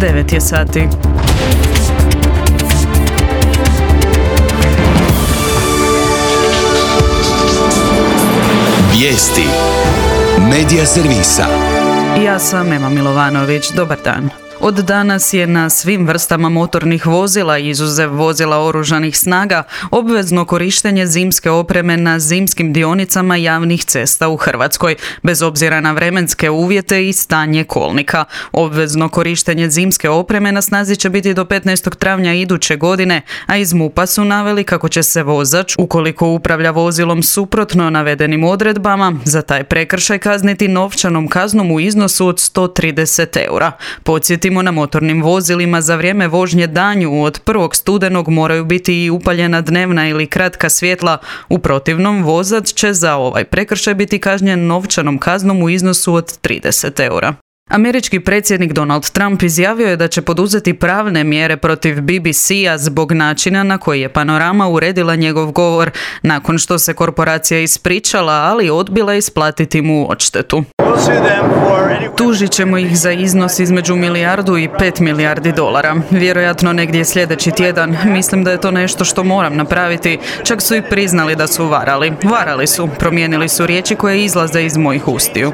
9 je sati. Vijesti Medija servisa. Ja sam Ema Milovanović. Dobar dan. Od danas je na svim vrstama motornih vozila, izuzev vozila oružanih snaga, obvezno korištenje zimske opreme na zimskim dionicama javnih cesta u Hrvatskoj, bez obzira na vremenske uvjete i stanje kolnika. Obvezno korištenje zimske opreme na snazi će biti do 15. travnja iduće godine, a iz MUP-a su naveli kako će se vozač, ukoliko upravlja vozilom suprotno navedenim odredbama, za taj prekršaj kazniti novčanom kaznom u iznosu od 130 eura. Podsjetimo, na motornim vozilima za vrijeme vožnje danju od 1. studenog moraju biti i upaljena dnevna ili kratka svjetla. U protivnom, vozač će za ovaj prekršaj biti kažnjen novčanom kaznom u iznosu od 30 eura. Američki predsjednik Donald Trump izjavio je da će poduzeti pravne mjere protiv BBC-a zbog načina na koji je Panorama uredila njegov govor, nakon što se korporacija ispričala, ali odbila isplatiti mu odštetu. Tužit ćemo ih za iznos između milijardu i 5 milijardi dolara. Vjerojatno negdje sljedeći tjedan. Mislim da je to nešto što moram napraviti. Čak su i priznali da su varali. Varali su. Promijenili su riječi koje izlaze iz mojih ustiju.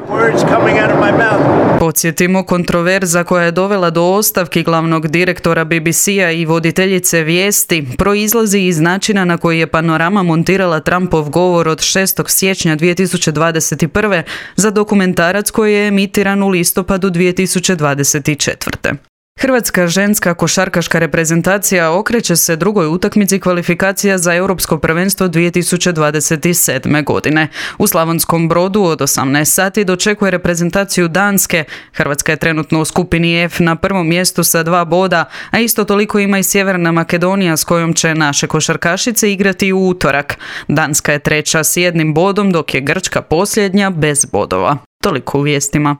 Podsjetimo, kontroverza koja je dovela do ostavki glavnog direktora BBC-a i voditeljice vijesti proizlazi iz načina na koji je Panorama montirala Trumpov govor od 6. siječnja 2021. za dokumentarac koji je emitiran u listopadu 2024. Hrvatska ženska košarkaška reprezentacija okreće se drugoj utakmici kvalifikacija za Europsko prvenstvo 2027. godine. U Slavonskom Brodu od 18 sati dočekuje reprezentaciju Danske. Hrvatska je trenutno u skupini F na prvom mjestu sa 2 boda, a isto toliko ima i Sjeverna Makedonija s kojom će naše košarkašice igrati u utorak. Danska je treća s 1 bodom, dok je Grčka posljednja bez bodova. Toliko u vijestima.